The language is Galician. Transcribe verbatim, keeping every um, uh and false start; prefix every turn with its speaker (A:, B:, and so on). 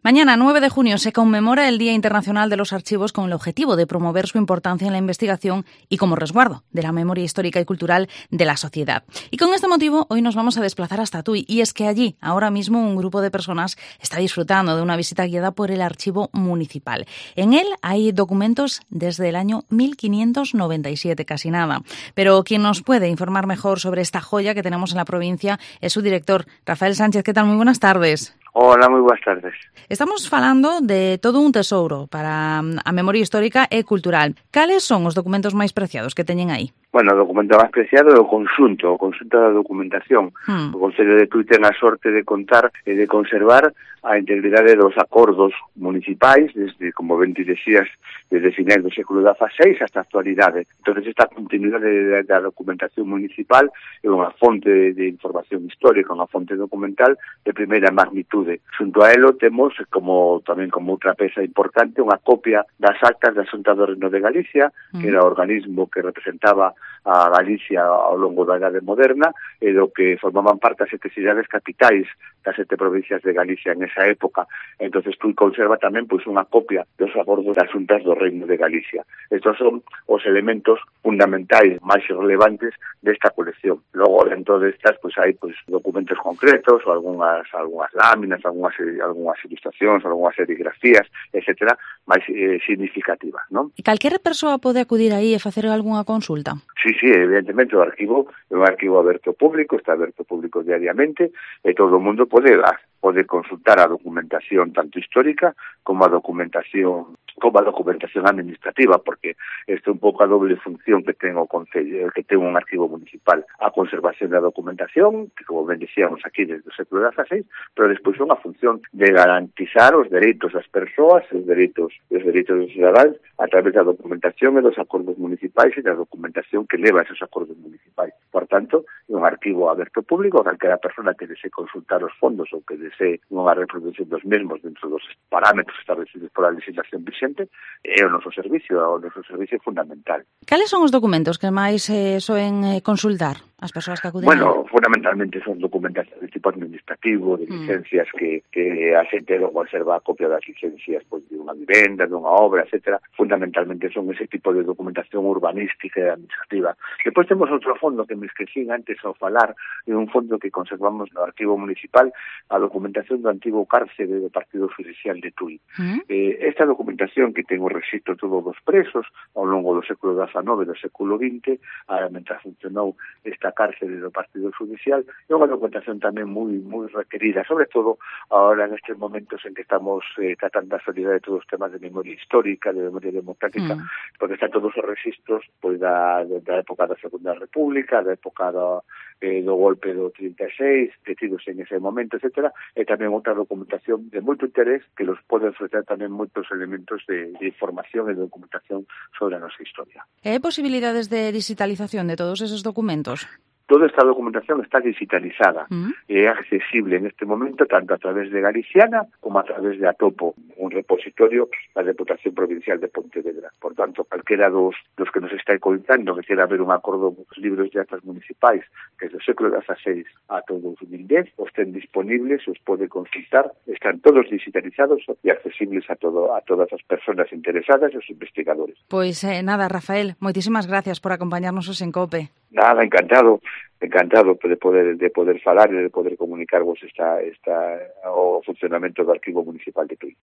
A: Mañana, nueve de junio, se conmemora el Día Internacional de los Archivos con el objetivo de promover su importancia en la investigación y como resguardo de la memoria histórica y cultural de la sociedad. Y con este motivo, hoy nos vamos a desplazar hasta Tui. Y es que allí, ahora mismo, un grupo de personas está disfrutando de una visita guiada por el Archivo Municipal. En él hay documentos desde el año mil quinientos noventa y siete, casi nada. Pero quien nos puede informar mejor sobre esta joya que tenemos en la provincia es su director, Rafael Sánchez. ¿Qué tal? Muy buenas tardes.
B: Hola, moi boas tardes.
A: Estamos falando de todo un tesouro para a memoria histórica e cultural. Cales son os documentos máis preciados que teñen aí?
B: Bueno, o documento máis preciado é o conxunto, o conxunto da documentación. Hmm. O Concello de Tui ten a sorte de contar e de conservar a integridade dos acordos municipais, desde, como ben te decías, desde finais do século dieciséis hasta a actualidade. Entón, esta continuidade da documentación municipal é unha fonte de información histórica, unha fonte documental de primeira magnitude. Xunto a elo temos, como tamén como outra peza importante, unha copia das actas da Xunta do Reino de Galicia, que era o organismo que representaba a Galicia ao longo da Idade Moderna e do que formaban parte as sete cidades capitais das sete provincias de Galicia en esa época. Entonces Tui conserva tamén pois unha copia dos acordos das Xuntas do Reino de Galicia. Estos son os elementos fundamentais máis relevantes desta colección. Logo, dentro destas, pois hai pois documentos concretos ou algunhas algunhas láminas, algunhas algunhas ilustracións, algunhas serigrafías, etcétera, máis eh, significativas, non?
A: E calquera persoa pode acudir aí e facer algunha consulta?
B: Sí, sí, evidentemente o arquivo é un arquivo aberto público, está aberto público diariamente e todo o mundo pode pode consultar a documentación tanto histórica como a documentación como a documentación administrativa, porque esta é un pouco a doble función que ten o Concello, que ten un arquivo municipal, a conservación da documentación, que como ben dicíamos aquí desde o século dieciséis, pero despois unha función de garantizar os dereitos das persoas, os dereitos, os dereitos dos cidadáns a través da documentación e dos acordos municipais e da documentación que leva esos acordos municipais. Por tanto, é un arquivo aberto público, calquera persona que desee consultar os fondos ou que desee unha reproducción dos mesmos dentro dos parámetros establecidos por a legislación vigente, é o noso servicio, o noso servicio fundamental.
A: Cales son os documentos que máis eh, soen eh, consultar as persoas que acuden?
B: Bueno, fundamentalmente son documentación de tipo administrativo, de licencias mm. que, que a xente non conserva a copia das licencias pois, de unha vivenda, de unha obra, etcétera. Fundamentalmente son ese tipo de documentación urbanística e administrativa. Depois temos outro fondo que me esquecín antes ao falar, é un fondo que conservamos no arquivo municipal, a documentación do antigo cárcere do Partido Judicial de Tui. Mm. Eh, esta documentación que ten o rexistro todos os presos ao longo do século diecinueve e do século vinte, a, mentras funcionou esta cárcere do Partido Judicial, é unha documentación tamén moi moi requerida, sobre todo agora nestes momentos en que estamos eh, tratando a actualidade de todos os temas de memoria histórica, de memoria democrática, mm. porque están todos os rexistros pois, da, da época da Segunda República, da época do, eh, do golpe do trinta e seis, detidos en ese momento, etcétera, e tamén outra documentación de moito interés que los pode ofrecer tamén moitos elementos de, de información e de documentación sobre a nosa historia.
A: E hai posibilidades de digitalización de todos esos documentos?
B: Toda esta documentación está digitalizada mm. e é accesible en este momento tanto a través de Galiciana como a través de Atopo, un repositorio da Deputación Provincial de Pontevedra. Por tanto, calquera dos, dos que nos está contando que quera ver un acordo dos libros de actas municipais que desde o século dieciséis a todo o dos mil dez os ten disponibles, os pode consultar, están todos digitalizados e accesibles a todo a todas as persoas interesadas e os investigadores.
A: Pois eh, nada, Rafael, moitísimas gracias por acompañarnos en COPE.
B: Nada, encantado, encantado de poder de poder falar e de poder comunicarvos esta esta o funcionamento do Arquivo Municipal de Tui.